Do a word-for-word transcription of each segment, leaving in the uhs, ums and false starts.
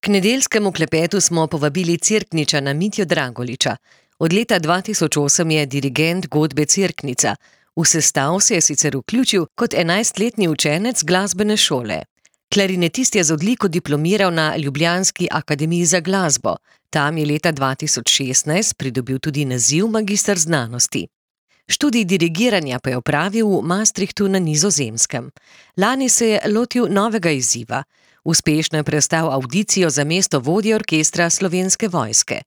K nedeljskemu klepetu smo povabili Cerkničana Mitjo Dragoliča. Od leta dva tisoč osem je dirigent godbe Cerknica. V sestav se je sicer vključil kot enajstletni učenec glasbene šole. Klarinetist je z odliko diplomiral na ljubljanski akademiji za glasbo. Tam je leta dva tisoč šestnajst pridobil tudi naziv magister znanosti. Študij dirigiranja pa je opravil v Maastrichtu na Nizozemskem. Lani se je lotil novega izziva. Uspešno je prestal avdicijo za mesto vodje orkestra Slovenske vojske.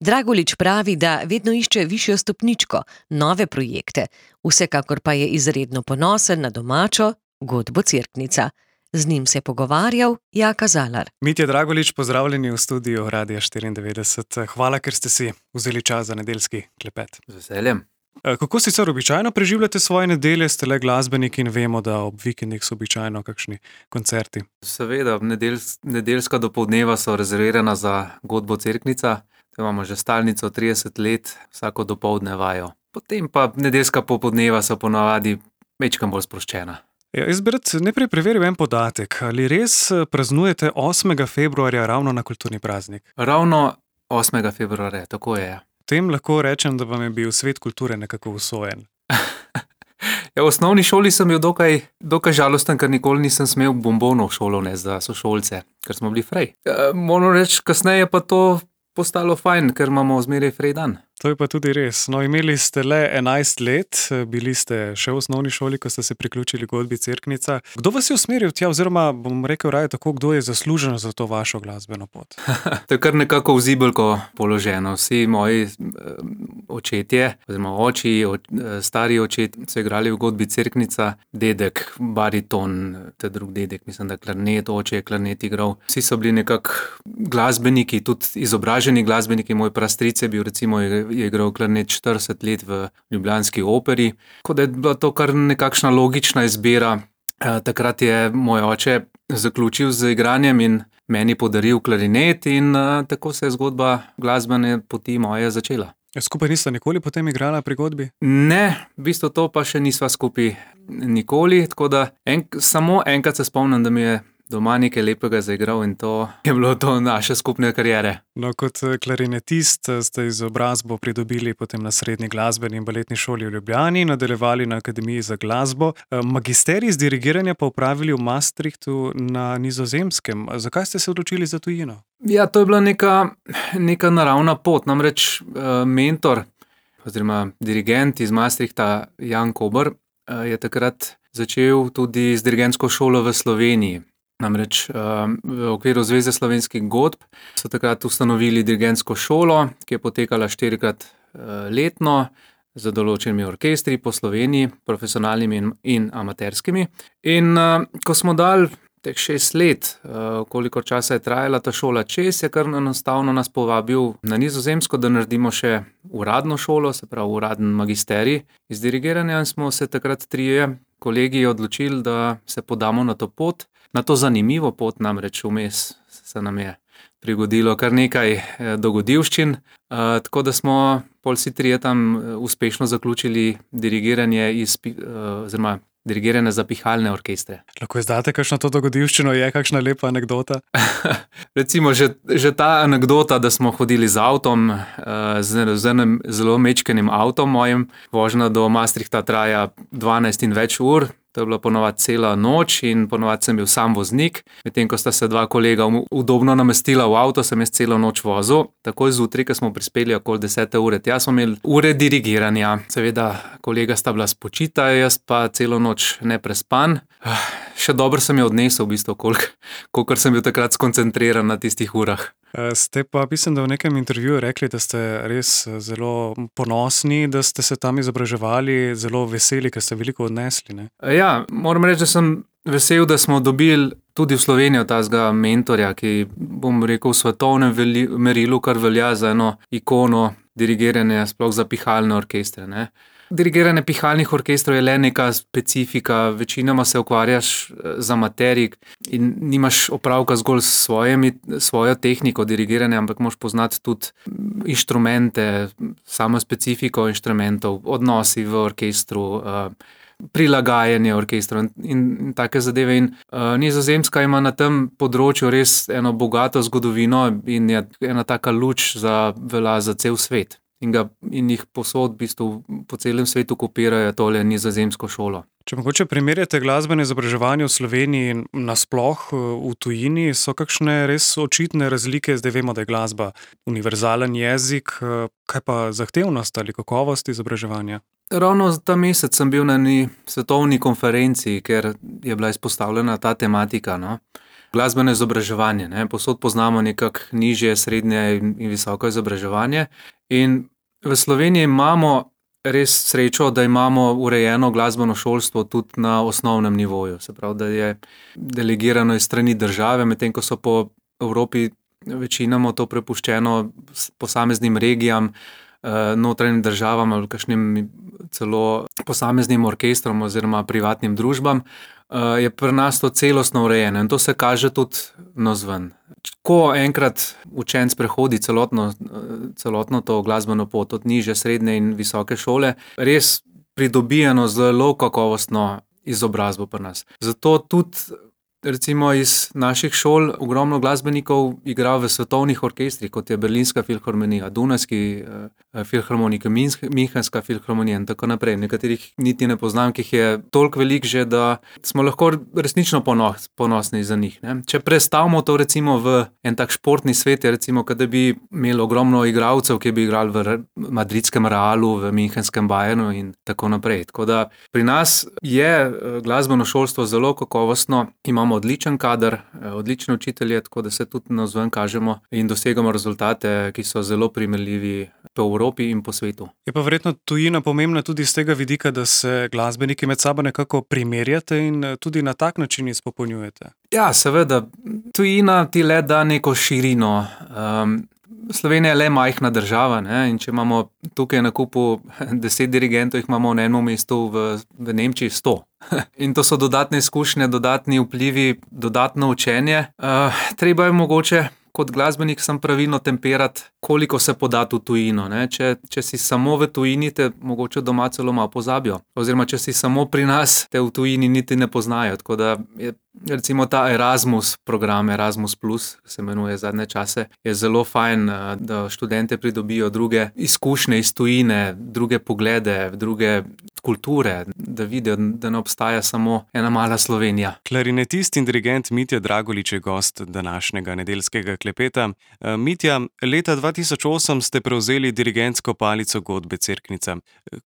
Dragolič pravi, da vedno išče višjo stopničko, nove projekte, vsekakor pa je izredno ponosen na domačo godbo Cerknica. Z njim se je pogovarjal Jaka Zalar. Mitja Dragolič, pozdravljeni v studiu Radia štiriindevetdeset. Hvala, ker ste si vzeli čas za nedeljski klepet. Z veseljem. Kako sicer običajno preživljate svoje nedelje? Ste le glasbeniki in vemo, da ob vikendih so običajno kakšni koncerti. Seveda, nedelj, nedeljska dopoldneva so rezervirana za godbo Cerknica. To imamo že stalnico trideset let, vsako dopoldne vajo. Potem pa nedeljska popoldneva so ponavadi mečkam bolj sproščena. Ja, jaz bi rad najprej preveril en podatek. Ali res praznujete osmega februarja ravno na kulturni praznik? Ravno osmega februarja, tako je. Tem lahko rečem, da vam je bil svet kulture nekako usojen. Ja, v osnovni šoli sem bil dokaj, dokaj žalosten, ker nikoli nisem smel bombonov v šolo ne za sošolce, ker smo bili frej. E, moram reči, kasneje pa to postalo fajn, ker imamo zmeraj frej dan. To je pa tudi res. No, imeli ste le enajst let, bili ste še v osnovni šoli, ko ste se priključili godbi Cerknica. Kdo vas je usmeril tja, oziroma bom rekel raje tako, kdo je zaslužen za to vašo glasbeno pot? To je kar nekako v zibelko položeno. Vsi moji očetje, oziroma oči, stari očetje so igrali v godbi Cerknica, dedek, bariton, te drug dedek, mislim, da klarnet, oče je klarnet igral. Vsi so bili nekako glasbeniki, tudi izobraženi glasbeniki. Moj prastric je bil recimo je igral klarnet štirideset let v ljubljanski operi. Tako da je bila to kar nekakšna logična izbira. E, takrat je moj oče zaključil z igranjem in meni podaril klarinet in e, tako se je zgodba glasbene poti moje začela. Skupaj nista nikoli potem igrala pri godbi? Ne, v bistvu to pa še nisva skupaj nikoli, tako da en, samo enkrat se spomnim, da mi je doma nekaj lepega zaigral in to je bilo to naše skupne kariere. No, kot klarinetist ste izobrazbo pridobili potem na srednji glasbeni in baletni šoli v Ljubljani, nadaljevali na Akademiji za glasbo. Magisterij iz dirigiranja pa opravili v Maastrichtu na Nizozemskem. Zakaj ste se odločili za tujino? Ja, to je bila neka, neka naravna pot. Namreč mentor oziroma dirigent iz Maastrichta Jan Kober je takrat začel tudi z dirigentsko šolo v Sloveniji. Namreč v okviru Zveze slovenskih godb so takrat ustanovili dirigentsko šolo, ki je potekala štirikrat letno z določenimi orkestri po Sloveniji, profesionalnimi in, in amaterskimi. In ko smo dali teh šest let, koliko časa je trajala ta šola čez, je kar enostavno nas povabil na Nizozemsko, da naredimo še uradno šolo, se pravi uraden magisterij iz dirigiranja, in smo se takrat trije kolegi odločili, da se podamo na to pot. Na to zanimivo pot, namreč vmes se nam je prigodilo kar nekaj dogodivščin, tako da smo pol vsi trije tam uspešno zaključili dirigiranje iz, oziroma dirigiranje za pihalne orkestre. Lahko izdate kakšno to dogodivščino, je kakšna lepa anekdota? Recimo že, že ta anekdota, da smo hodili z avtom, z, z enim zelo mečkenim avtom mojim, vožnja do Maastrichta traja dvanajst in več ur. To je bila ponovadi cela noč in ponovadi sem bil sam voznik. Medtem ko sta se dva kolega udobno namestila v avto, sem jaz celo noč vozil. Takoj zjutraj, ko smo prispeli okoli desete ure, tja smo imeli ure dirigiranja. Seveda, kolega sta bila spočita, jaz pa celo noč neprespan. Še dobro sem jo odnesel, v bistvu, koliko, kolikor sem bil takrat skoncentriran na tistih urah. Ste pa, mislim, da v nekem intervjuju rekli, da ste res zelo ponosni, da ste se tam izobraževali, zelo veseli, ker ste veliko odnesli, ne? Ja, moram reči, da sem vesel, da smo dobili tudi v Slovenijo tazga mentorja, ki, bom rekel, v svetovnem veli, merilu, kar velja za eno ikono dirigiranja, sploh za pihalne orkestre, ne. Dirigiranje pihalnih orkestrov je le neka specifika, večinoma se ukvarjaš z amaterji in nimaš opravka zgolj s svojimi, svojo tehniko dirigiranja, ampak moraš poznati tudi inštrumente, samo specifiko inštrumentov, odnosi v orkestru, prilagajanje orkestra in, in take zadeve. In uh, Nizozemska ima na tem področju res eno bogato zgodovino in je ena taka luč za velja za cel svet. In, ga, in jih posod v bistvu po celem svetu kopirajo tole nizozemsko šolo. Če mogoče primerjate glasbeno izobraževanje v Sloveniji in nasploh v tujini, so kakšne res očitne razlike? Zdaj vemo, da je glasba univerzalen jezik, kaj pa zahtevnost ali kakovost izobraževanja? Ravno ta mesec sem bil na eni svetovni konferenci, ker je bila izpostavljena ta tematika, no? Glasbeno izobraževanje, ne? Posod poznamo nekako nižje, srednje in visoko izobraževanje. In v Sloveniji imamo res srečo, da imamo urejeno glasbeno šolstvo tudi na osnovnem nivoju. Se pravi, da je delegirano iz strani države, medtem ko so po Evropi večinoma to prepuščeno posameznim regijam, notranjim državam ali kakšnim celo posameznim orkestrom oziroma privatnim družbam, je pri nas to celostno urejeno in to se kaže tudi navzven. Ko enkrat učenec prehodi celotno, celotno to glasbeno pot od nižje, srednje in visoke šole, res pridobijeno zelo kakovostno izobrazbo pri nas. Zato tudi recimo iz naših šol ogromno glasbenikov igra v svetovnih orkestrih, kot je Berlinska filharmonija, Dunajski eh, filharmonika, Münchenska filharmonija in tako naprej. Nekaterih niti ne poznam, ki jih je toliko velik že, da smo lahko resnično ponos, ponosni za njih. Ne? Če prestavimo to recimo v en tak športni svet, je recimo, kada bi imeli ogromno igralcev, ki bi igrali v madridskem Realu, v Münchenskem Bayernu in tako naprej. Tako da pri nas je glasbeno šolstvo zelo kakovostno, imamo odličen kader, odlične učitelje, tako da se tudi navzven kažemo in dosegamo rezultate, ki so zelo primerljivi po Evropi in po svetu. Je pa verjetno tujina pomembna tudi z tega vidika, da se glasbeniki med sabo nekako primerjate in tudi na tak način izpopolnjujete. Ja, seveda. Tujina ti le da neko širino. Um, Slovenija je le majhna država, ne? In če imamo tukaj na kupu deset dirigentov, jih imamo na enem mestu v, v Nemčiji sto. In to so dodatne izkušnje, dodatni vplivi, dodatno učenje. Uh, treba je mogoče kot glasbenik sem pravilno temperati, koliko se podati v tujino. Ne? Če, če si samo v tujini, te mogoče doma celo malo pozabijo. Oziroma, če si samo pri nas, te v tujini niti ne poznajo. Tako da je recimo ta Erasmus program, Erasmus plus, se imenuje zadnje čase, je zelo fajn, da študente pridobijo druge izkušnje iz tujine, druge poglede, druge kulture, da vidijo, da ne obstaja samo ena mala Slovenija. Klarinetist in dirigent Mitja Dragolič je gost današnjega nedeljskega klepeta. Mitja, leta dva tisoč osem ste prevzeli dirigentsko palico Godbe Cerknica.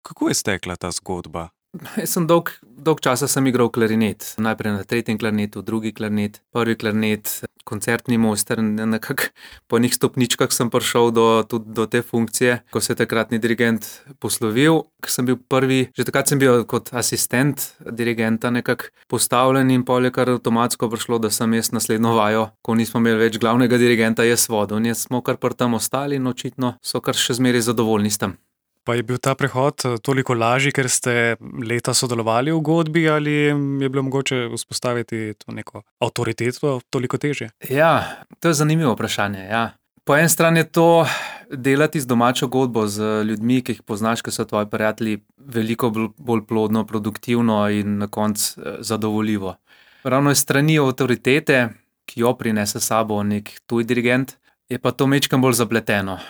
Kako je stekla ta zgodba? Jaz sem dolg, dolg časa sem igral klarinet. Najprej na tretjem klarinetu, drugi klarinet, prvi klarinet, koncertni mojster. Nekako po enih stopničkah sem prišel do, tudi do te funkcije, ko se je takratni dirigent poslovil. Ko sem bil prvi, že takrat sem bil kot asistent dirigenta nekako postavljen in pol je kar avtomatsko prišlo, da sem jaz naslednjo vajo, ko nismo imeli več glavnega dirigenta, jaz vodil. In jaz smo kar pri tam ostali in očitno so kar še zmeraj zadovoljni s tem. Pa je bil ta prehod toliko lažji, ker ste leta sodelovali v godbi ali je bilo mogoče vzpostaviti to neko avtoriteto toliko težje? Ja, to je zanimivo vprašanje, ja. Po eni strani je to delati z domačo godbo, z ljudmi, ki jih poznaš, ki so tvoji prijatelji, veliko bolj plodno, produktivno in na koncu zadovoljivo. Ravno iz strani avtoritete, ki jo prinese sabo nek tuj dirigent, je pa to mečkam bolj zapleteno.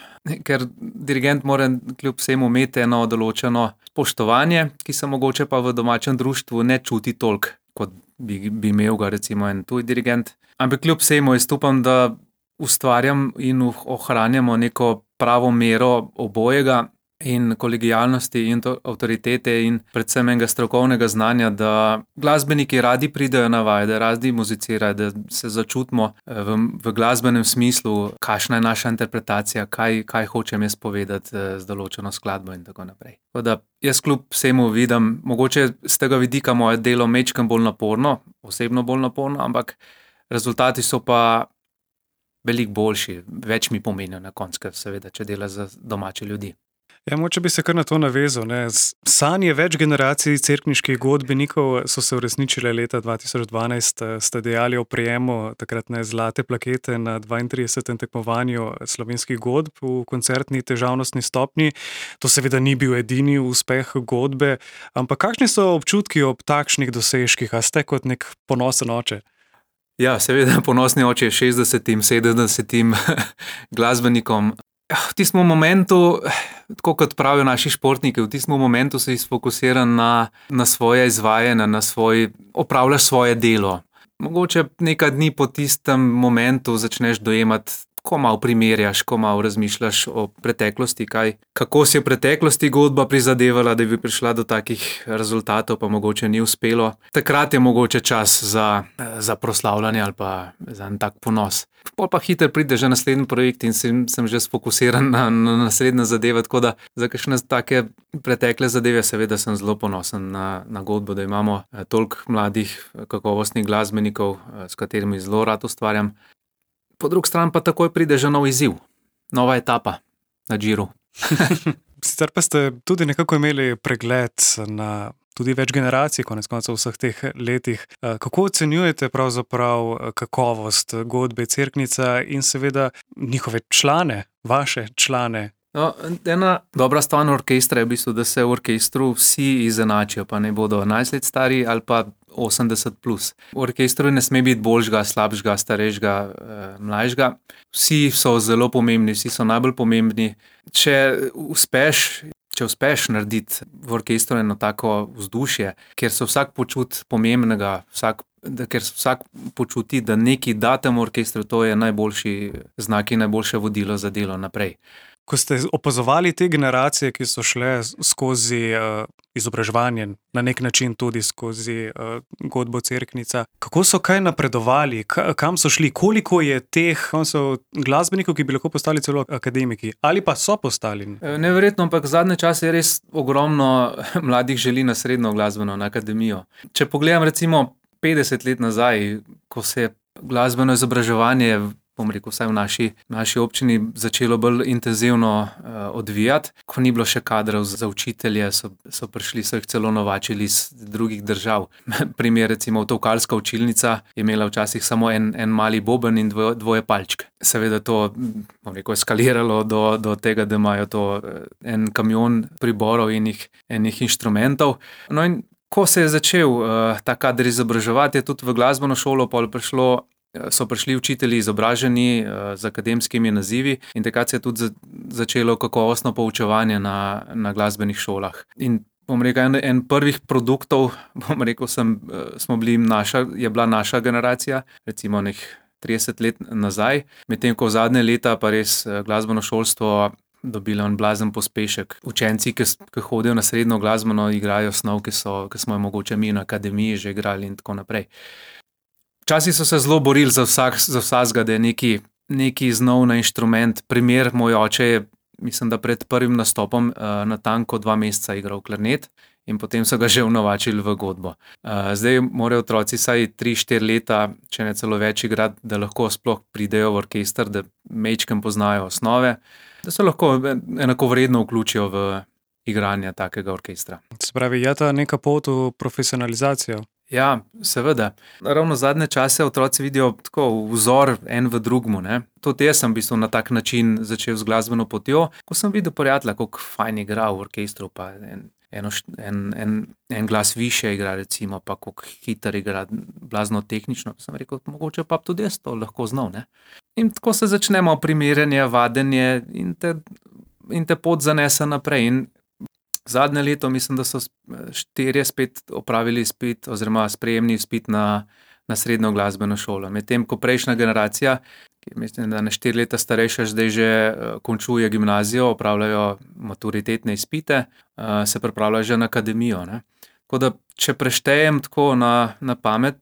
Ker dirigent mora kljub vsemu imeti eno določeno spoštovanje, ki se mogoče pa v domačem društvu ne čuti toliko, kot bi, bi imel ga recimo en tuj dirigent. Ampak kljub vsemu jaz upam, da ustvarjam in ohranjamo neko pravo mero obojega in kolegijalnosti in avtoritete in predvsem enega strokovnega znanja, da glasbeniki radi pridejo na vaje, da radi muzicirajo, da se začutimo v, v glasbenem smislu, kakšna je naša interpretacija, kaj, kaj hočem jaz povedati z določeno skladbo in tako naprej. Tako da jaz kljub vsemu vidim, mogoče z tega vidika moje delo mečkam bolj naporno, osebno bolj naporno, ampak rezultati so pa veliko boljši, več mi pomenijo na koncu, seveda, če dela za domače ljudi. Ja, moče bi se kar na to navezal. Ne. Sanje več generacij cerkniških godbenikov so se uresničile leta dva tisoč dvanajst, ste dejali o prejemu takratne zlate plakete na dvaintridesetem tekmovanju slovenskih godb v koncertni težavnostni stopnji. To seveda ni bil edini uspeh godbe, ampak kakšni so občutki ob takšnih dosežkih? A ste kot nek ponosen oče? Ja, seveda ponosni oče šestdesetim, sedemdesetim glasbenikom. V tistem momentu, tako kot pravijo naši športniki, v tistem momentu si sfokusiran na, na svoje izvajanje, na svoj, opravljaš svoje delo. Mogoče nekaj dni po tistem momentu začneš dojemati, ko malo primerjaš, ko malo razmišljaš o preteklosti, kaj, kako si v preteklosti godba prizadevala, da bi prišla do takih rezultatov, pa mogoče ni uspelo. Takrat je mogoče čas za, za proslavljanje ali pa za en tak ponos. Pol pa hitro pride že naslednji projekt in sem, sem že sfokusiran na, na naslednje zadeve, tako da za kakšne take pretekle zadeve seveda sem zelo ponosen na, na godbo, da imamo toliko mladih, kakovostnih glasbenikov, s katerimi zelo rad ustvarjam. Po drugi strani pa takoj pride že nov izziv, nova etapa na Džiru. Sicer pa ste tudi nekako imeli pregled na tudi več generacij, konec koncev v vseh teh letih. Kako ocenjujete pravzaprav kakovost godbe Cerknica in seveda njihove člane, vaše člane? No, ena dobra stvar orkestra je v bistvu, da se v orkestru vsi izenačijo, pa ne bodo enajst let stari ali pa osemdeset plus. V orkestru ne sme biti boljšega, slabšega, starejšega, mlajšega. Vsi so zelo pomembni, vsi so najbolj pomembni. Če uspeš, če uspeš narediti v orkestru eno tako vzdušje, kjer se vsak počuti pomembnega, vsak, da, ker se vsak počuti, da nekaj da temu orkestru, to je najboljši znak in najboljše vodilo za delo naprej. Ko ste opazovali te generacije, ki so šle skozi uh, izobraževanje, na nek način tudi skozi uh, godbo Cerknica, kako so kaj napredovali, K- kam so šli, koliko je teh so glasbenikov, ki bi lahko postali celo akademiki, ali pa so postali? Neverjetno, ampak zadnje čase je res ogromno mladih želi na srednjo glasbeno, na akademijo. Če pogledam recimo petdeset let nazaj, ko se je glasbeno izobraževanje, bom rekel, vsaj v naši, naši občini začelo bolj intenzivno uh, odvijati. Ko ni bilo še kadrov za učitelje, so, so prišli, so jih celo novačili iz drugih držav. Primer, recimo, Tolkalska učilnica je imela včasih samo en, en mali boben in dvoje, dvoje palčke. Seveda to, bom rekel, eskaliralo do, do tega, da imajo to en kamion priborov in jih, enih inštrumentov. No in ko se je začel uh, ta kader izobraževati, je tudi v glasbeno šolo pol prišlo so prišli učitelji izobraženi uh, z akademskimi nazivi in takrat se je tudi za, začelo kakovostno poučevanje na, na glasbenih šolah. In bom rekel, en, en prvih produktov, bom rekel, sem, uh, smo bili naša, je bila naša generacija, recimo nek trideset let nazaj, medtem ko v zadnje leta pa res uh, glasbeno šolstvo dobilo en blazen pospešek. Učenci, ki, ki hodijo na srednjo glasbeno, igrajo snov, ki, so, ki smo jo mogoče mi na akademiji že igrali in tako naprej. Včasih so se zelo borili za, vsak, za vsakega, da je neki, neki znov na inštrument. Primer, moj oče je, mislim, da pred prvim nastopom uh, na tanko dva meseca igral klarnet in potem so ga že vnovačili v godbo. Uh, zdaj morajo otroci vsaj tri štiri leta, če ne celo več igrati, da lahko sploh pridejo v orkester, da mečkem poznajo osnove, da se lahko enako vredno vključijo v igranje takega orkestra. Se pravi, je ta neka pot v profesionalizacijo? Ja, seveda. Ravno zadnje čase otroci vidijo tako vzor en v drugmu. Ne? Tudi jaz sem v bistvu na tak način začel z glasbeno potjo, ko sem videl prijatelja, kako fajn igra v orkestru, pa en, eno, en, en, en glas više igra, recimo, pa kako hiter igra, blazno tehnično. Sem rekel, mogoče pa tudi jaz to lahko znal. Ne? In tako se začnemo primerjanje, vadenje in te, in te pot zanese naprej. In zadnje leto mislim, da so štirje spet opravili izpit oziroma sprejemni izpit na, na srednjo glasbeno šolo. Medtem ko prejšnja generacija, ki mislim, da na štiri leta starejša, zdaj že končuje gimnazijo, opravljajo maturitetne izpite, se pripravljajo že na akademijo. Ne? Tako da, če preštejem tako na, na pamet,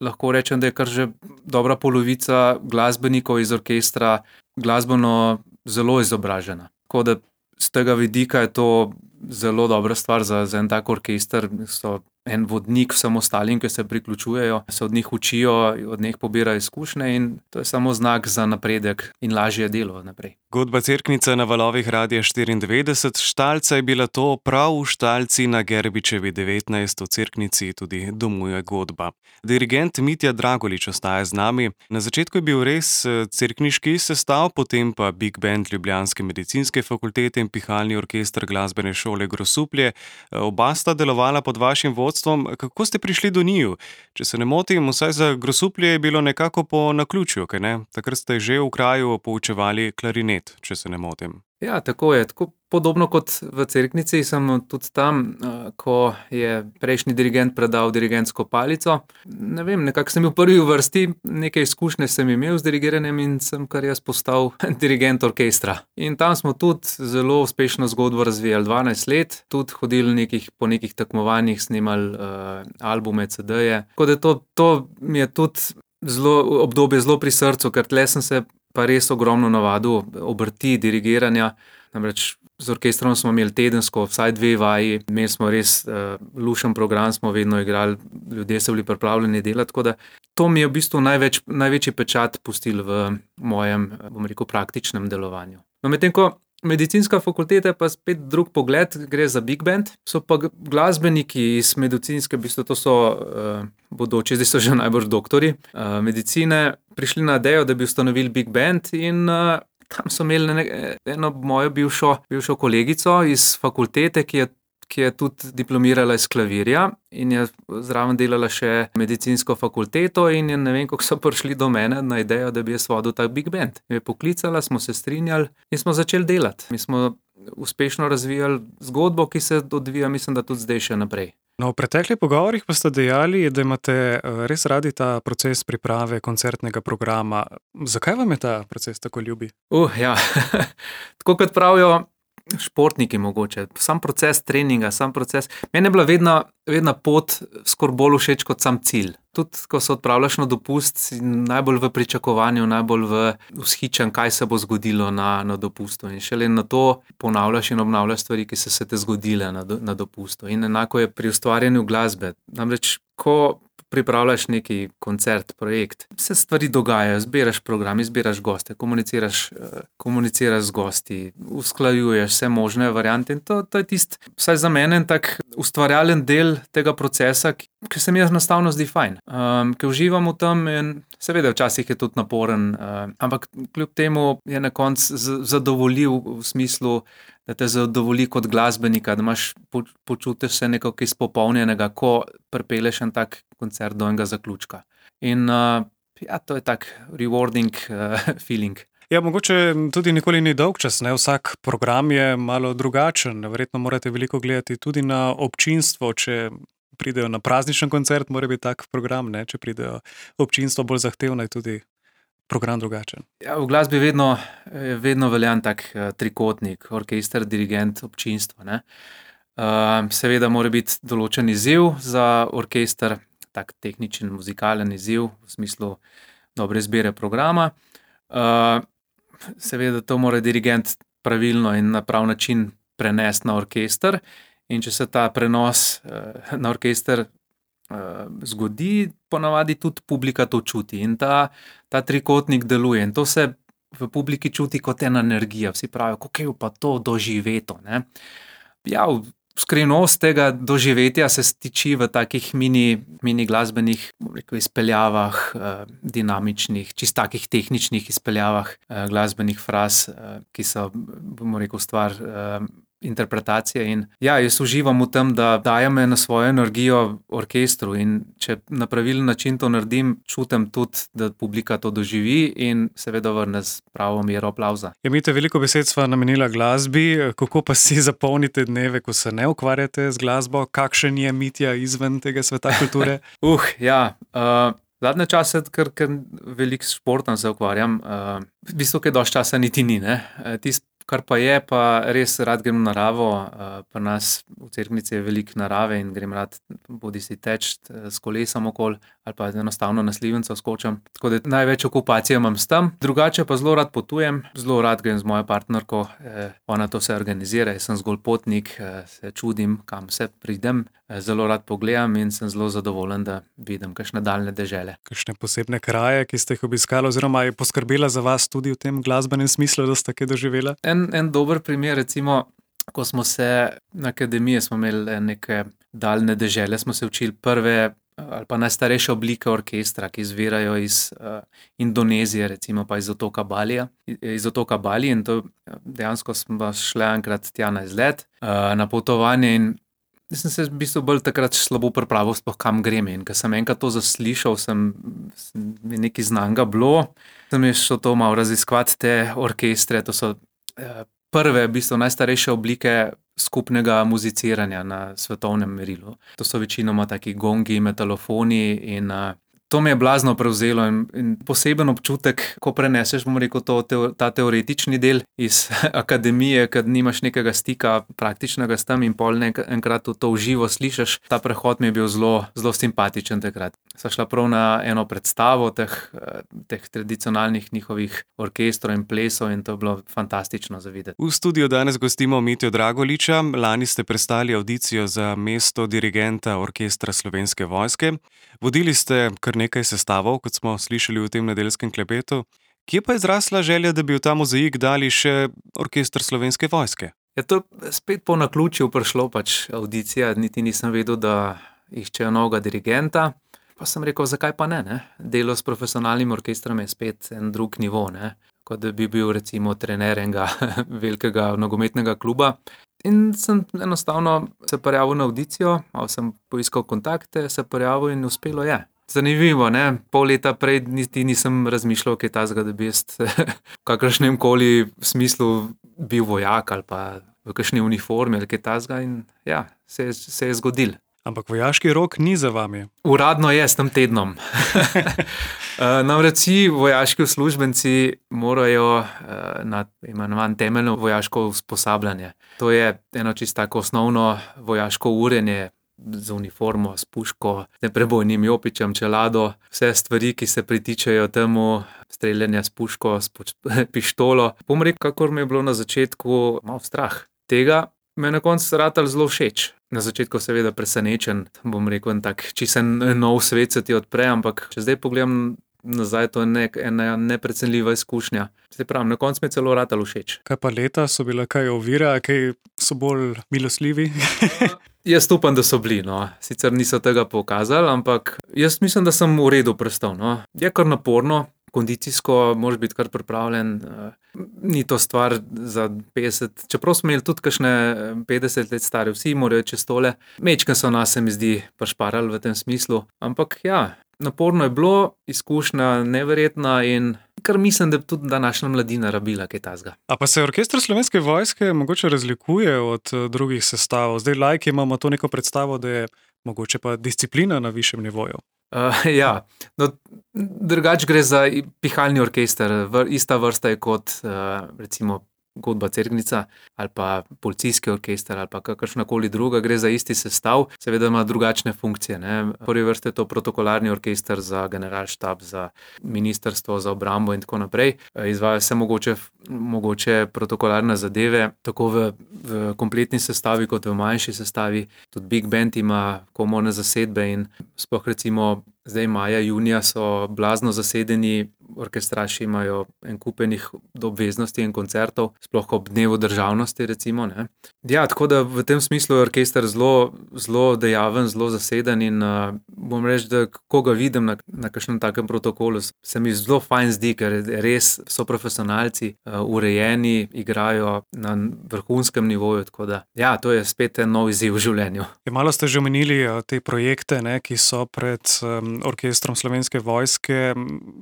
lahko rečem, da je kar že dobra polovica glasbenikov iz orkestra glasbeno zelo izobražena. Tako da z tega vidika je to zelo dobra stvar za, za en tak orkester. So en vodnik vsem ostalim, ki se priključujejo, se od njih učijo, od njih pobirajo izkušnje in to je samo znak za napredek in lažje delo naprej. Godba Cerknica na valovih Radia štiriindevetdeset, Štalca je bila to, prav v Štalci na Gerbičevi devetnajst, v Cerknici tudi domuje godba. Dirigent Mitja Dragolič ostaja z nami. Na začetku je bil res cerkniški sestav, potem pa Big Band Ljubljanske medicinske fakultete in pihalni orkester glasbene šole Grosuplje. Oba sta delovala pod vašim vodstvom. Kako ste prišli do njiju? Če se ne motim, vsaj za Grosuplje je bilo nekako po naključju, kaj ne? Takrat ste že v kraju poučevali klarinet, če se ne motim. Ja, tako je. Tako podobno kot v Cerknici sem tudi tam, ko je prejšnji dirigent predal dirigentsko palico. Ne vem, nekako sem bil prvi v vrsti, nekaj izkušnje sem imel z dirigiranjem in sem kar jaz postal dirigent orkestra. In tam smo tudi zelo uspešno zgodbo razvijali dvanajst let, tudi hodili nekih, po nekih tekmovanjih, snemali uh, albume, ce deje. Tako da to, to mi je tudi zelo, obdobje zelo pri srcu, ker tle sem se pa res ogromno navadil obrti, dirigiranja. Namreč z orkestrom smo imeli tedensko vsaj dve vaji, imeli smo res uh, lušen program, smo vedno igrali, ljudje so bili pripravljeni delati, tako da to mi je v bistvu največ, največji pečat pustil v mojem, bom rekel, praktičnem delovanju. No, medtem ko medicinska fakulteta pa spet drug pogled, gre za big band, so pa glasbeniki iz medicinske, v bistvu to so uh, bodoči, zdaj so že najbolj doktori uh, medicine, prišli na idejo, da bi ustanovili big band in uh, tam so imeli ne, eno mojo bivšo, bivšo kolegico iz fakultete, ki je, ki je tudi diplomirala iz klavirja in je zraven delala še medicinsko fakulteto in je, ne vem, kako so prišli do mene na idejo, da bi jaz vodil tak big band. Je poklicala, smo se strinjali in smo začeli delati. Mi smo uspešno razvijali zgodbo, ki se odvija, mislim, da tudi zdaj še naprej. No, v preteklih pogovorih pa ste dejali, da imate res radi ta proces priprave koncertnega programa. Zakaj vam je ta proces tako ljubi? Uh, ja, tako kot pravijo športniki mogoče, sam proces treninga, sam proces. Meni je bila vedno, vedno pot skoraj bolj všeč kot sam cilj. Tudi, ko se odpravljaš na dopust, si najbolj v pričakovanju, najbolj v vzhičen, kaj se bo zgodilo na, na dopustu. In šele na to ponavljaš in obnavljaš stvari, ki so se te zgodile na, na dopustu. In enako je pri ustvarjanju glasbe. Namreč, ko pripravljaš neki koncert, projekt, se stvari dogajajo, zbiraš program, izbiraš goste, komuniciraš, komuniciraš z gosti, usklajuješ vse možne variante in to, to je tisti, vsaj za mene, tak ustvarjalen del tega procesa, ki, ki se mi enostavno zdi fajn. Um, ki uživam v tem in seveda včasih je tudi naporen, um, ampak kljub temu je na koncu zadovoljiv v smislu, da te zadovolji kot glasbenika, da imaš, počutiš se nekako izpopolnjenega, ko pripeleš en tak koncert do enega zaključka. In uh, ja, to je tak rewarding uh, feeling. Ja, mogoče tudi nikoli ni dolg čas, ne? Vsak program je malo drugačen. Verjetno morate veliko gledati tudi na občinstvo, če pridejo na prazničen koncert, mora biti tak program, ne? Če pridejo občinstvo bolj zahtevno, je tudi program drugačen. Ja, v glasbi vedno, vedno veljan tak uh, trikotnik, orkester, dirigent, občinstvo. Ne? Uh, seveda mora biti določen izziv za orkester, tak tehničen, muzikalen izziv v smislu dobre izbire programa. Uh, seveda to mora dirigent pravilno in na prav način prenesti na orkester in če se ta prenos uh, na orkester zgodi, ponavadi tudi publika to čuti in ta, ta trikotnik deluje in to se v publiki čuti kot ena energija. Vsi pravijo, kako je pa to doživeto. Ne? Ja, skrivnost tega doživetja se stiči v takih mini, mini glasbenih rekel, izpeljavah, dinamičnih, čist takih tehničnih izpeljavah glasbenih fraz, ki so, bomo rekel, stvar interpretacije in ja, jaz uživam v tem, da dajem na svojo energijo orkestru in če na pravilen način to naredim, čutim tudi, da publika to doživi in seveda vrne z pravo mero aplavza. Ja, Mite, veliko besed sva namenila glasbi, kako pa si zapolnite dneve, ko se ne ukvarjate z glasbo? Kakšen je Mitja izven tega sveta kulture? uh, ja, uh, zadnje čase, ker, ker veliko športom se ukvarjam, uh, v bistvu, kaj dosti časa niti ni, ne? Tist Kar pa je, pa res rad grem v naravo. Pri nas v Cerknici je veliko narave in grem rad bodi si teč s kolesom okoli ali pa enostavno na slivenco skočim. Tako da največ okupacije imam s tem. Drugače pa zelo rad potujem, zelo rad grem z mojo partnerko. Ona to vse organizira, jaz sem zgolj potnik, se čudim, kam se pridem. Zelo rad pogledam in sem zelo zadovoljen, da vidim kakšne daljne dežele. Kakšne posebne kraje, ki ste jih obiskali, oziroma je poskrbela za vas tudi v tem glasbenem smislu, da ste kaj doživela? En, en dober primer, recimo, ko smo se na akademiji, smo imeli neke daljne dežele, smo se učili prve ali pa najstarejše oblike orkestra, ki izvirajo iz uh, Indonezije, recimo pa iz otoka Balija, iz otoka Bali, in to dejansko smo šli enkrat tja na izlet, uh, na potovanje, in sem se v bistvu bolj takrat slabo pripravil, sploh kam grem. In ko sem enkrat to zaslišal, sem, sem nekaj znanga bilo, sem je šel to malo raziskovati te orkestre. To so uh, prve, v bistvu najstarejše oblike skupnega muziciranja na svetovnem merilu. To so večinoma taki gongi, metalofoni in uh, to me je blazno prevzelo in, in poseben občutek, ko preneseš, bom rekel, to, te, ta teoretični del iz akademije, kad nimaš nekega stika praktičnega s tem in pol nek, enkrat to v živo slišiš. Ta prehod mi je bil zelo, zelo simpatičen takrat. Sva šla prav na eno predstavo teh, teh tradicionalnih njihovih orkestrov in plesov in to je bilo fantastično za videti. V studiu danes gostimo Mitjo Dragoliča. Lani ste prestali avdicijo za mesto dirigenta Orkestra Slovenske vojske. Vodili ste kar nekaj sestavov, kot smo slišali v tem nedeljskem klepetu. Kje pa je zrasla želja, da bi v ta mozaik dali še Orkester Slovenske vojske? Ja, to je spet po naključju prišlo, pač avdicija, niti nisem vedel, da iščejo novega dirigenta. Pa sem rekel, zakaj pa ne, ne? Delo s profesionalnim orkestrom je spet en drug nivo, ne? Kot da bi bil recimo trener enega velikega nogometnega kluba. In sem enostavno se prijavil na avdicijo, malo sem poiskal kontakte, se prijavil in uspelo je. Zanimivo, ne? Pol leta prej niti nisem razmišljal kaj tazga, da bi jaz v kakršnem koli smislu bil vojak ali pa v kakšni uniformi ali kaj tazga in ja, se, se je zgodil. Ampak vojaški rok ni za vami. Uradno je s tem tednom. Namreč vsi vojaški uslužbenci morajo na imenovan temeljno vojaško usposabljanje. To je eno čisto tako osnovno vojaško urjenje z uniformo, s puško, neprebojnim jopičem, čelado, vse stvari, ki se pritičajo temu, streljanje s puško, s pištolo. Bom rekel, kakor mi je bilo na začetku malo strah tega, me je na koncu ratal zelo všeč. Na začetku seveda presenečen, bom rekel, en tak čisen nov svet se ti odpre, ampak če zdaj pogledam nazaj, to je nek, ena neprecenljiva izkušnja. Zdaj pravim, na koncu mi je celo ratal všeč. Kaj pa leta, so bila kaj ovira, kaj so bolj milosljivi? Jaz upam, da so bili, no. Sicer niso tega pokazali, ampak jaz mislim, da sem v redu prestal, no. Je kar naporno, kondicijsko moraš biti kar pripravljen. Ni to stvar za petdeset, čeprav smo imeli tudi kakšne petdeset let stare, vsi morajo čez tole. Mečken so nas, se mi zdi, pašparali v tem smislu, ampak ja, naporno je bilo, izkušnja neverjetna in kar mislim, da tudi današnja mladina rabila kaj tazga. A pa se Orkester Slovenske vojske mogoče razlikuje od drugih sestavov? Zdaj lajki imamo to neko predstavo, da je mogoče pa disciplina na višjem nivoju. Uh, ja, no, drugače gre za pihalni orkester, ista vrsta je kot uh, recimo Godba Cerknica ali pa policijski orkester ali pa kakršnakoli druga, gre za isti sestav, seveda ima drugačne funkcije, ne. V prvi vrsti je to protokolarni orkester za generalštab, za ministrstvo, za obrambo in tako naprej. Izvaja se mogoče, mogoče protokolarne zadeve, tako v, v kompletni sestavi kot v manjši sestavi. Tudi Big Band ima komorne zasedbe in sploh recimo zdaj maja, junija so blazno zasedeni, orkestraši imajo en kupenih obveznosti in koncertov, sploh ob dnevu državnosti recimo, ne. Ja, tako da v tem smislu je orkester zelo, zelo dejaven, zelo zaseden in uh, bom reči, da ko ga vidim na, na kakšnem takem protokolu, se mi zelo fajn zdi, ker res so profesionalci, uh, urejeni, igrajo na vrhunskem nivoju, tako da ja, to je spet en nov izziv v življenju. Je, malo ste že omenili te projekte, ne, ki so pred um, Orkestrom Slovenske vojske,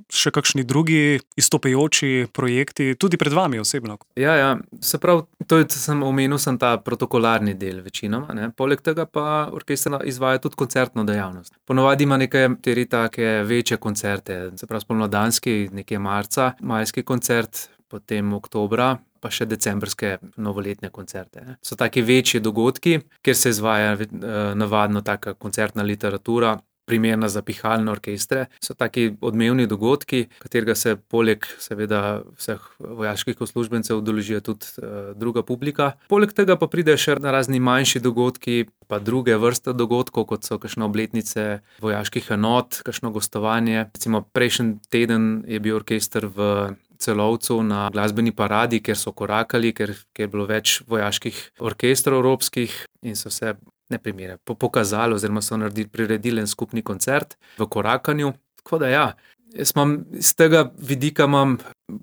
še kakšni drugi izstopajoči projekti, tudi pred vami osebno? Ja, ja, se pravi, to je, sem omenil sem ta protokolarni del večinoma, ne. Poleg tega pa orkester izvaja tudi koncertno dejavnost. Ponavadi ima nekatere take večje koncerte, se pravi spomladanski, nekje marca, majski koncert, potem oktobra, pa še decembrske novoletne koncerte. Ne. So taki večji dogodki, kjer se izvaja eh, navadno taka koncertna literatura, primerna za pihalne orkestre. So taki odmevni dogodki, katerega se poleg seveda vseh vojaških uslužbencev udeležijo tudi uh, druga publika. Poleg tega pa pridejo še na razni manjši dogodki, pa druge vrste dogodkov, kot so kakšne obletnice vojaških enot, kakšno gostovanje. Recimo prejšnji teden je bil orkester v Celovcu na glasbeni paradi, kjer so korakali, ker, ker je bilo več vojaških orkestrov evropskih in so se ne primere, pokazali oziroma so naredili, priredili en skupni koncert v korakanju. Tako da ja, jaz imam z tega vidika imam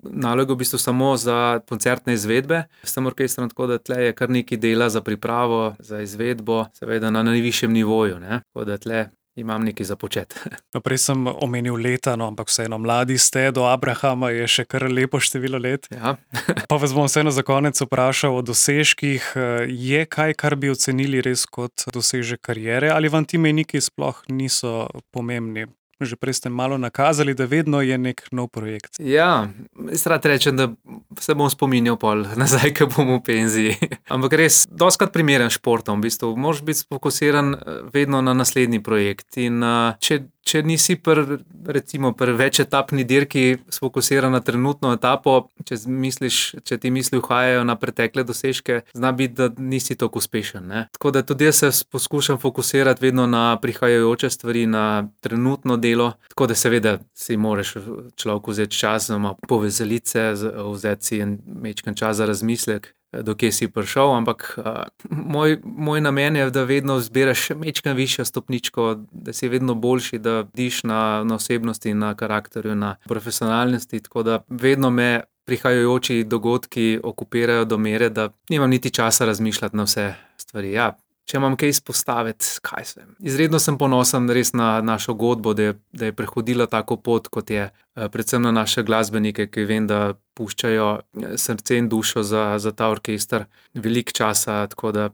nalogo v bistvu samo za koncertne izvedbe s tem orkestrom, tako da tle je kar nekaj dela za pripravo, za izvedbo, seveda na najvišjem nivoju, ne. Tako da tle imam nekaj za početi. No, prej sem omenil leta, no, ampak vseeno mladi ste, do Abrahama je še kar lepo število let. Ja. Pa vas bom vseeno za konec vprašal o dosežkih. Je kaj, kar bi ocenili res kot dosežek kariere, ali vam ti mejniki sploh niso pomembni? Že prej ste malo nakazali, da vedno je nek nov projekt. Ja, jaz rad rečem, da se bom spominjal pol nazaj, ko bom v penziji. Ampak res, dostikrat primeren športom, v bistvu. Moraš biti fokusiran vedno na naslednji projekt. In če, če nisi pri, recimo, pri večetapni dirki sfokusiran na trenutno etapo, če misliš, če ti misli uhajajo na pretekle dosežke, zna biti, da nisi tako uspešen, ne. Tako da tudi jaz se poskušam fokusirati vedno na prihajajoče stvari, na trenutno delo, tako da seveda si moraš človek vzeti čas, povezalice, vzeti si en majčken čas za razmislek, do kje si prišel, ampak uh, moj, moj namen je, da vedno zbiraš majčken višjo stopničko, da si vedno boljši, da diš na, na osebnosti, na karakterju, na profesionalnosti, tako da vedno me prihajajoči dogodki okupirajo do mere, da nimam niti časa razmišljati na vse stvari. Ja, če imam kaj izpostaviti, kaj sem. Izredno sem ponosen res na našo godbo, da je, da je prehodila tako pot, kot je, predvsem na naše glasbenike, ki vem, da puščajo srce in dušo za, za ta orkester veliko časa, tako da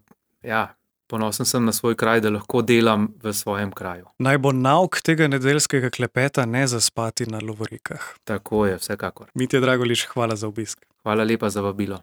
ja, ponosen sem na svoj kraj, da lahko delam v svojem kraju. Naj bo nauk tega nedeljskega klepeta ne zaspati na lovorikah. Tako je, vsekakor. Mitja Dragolič, hvala za obisk. Hvala lepa za vabilo.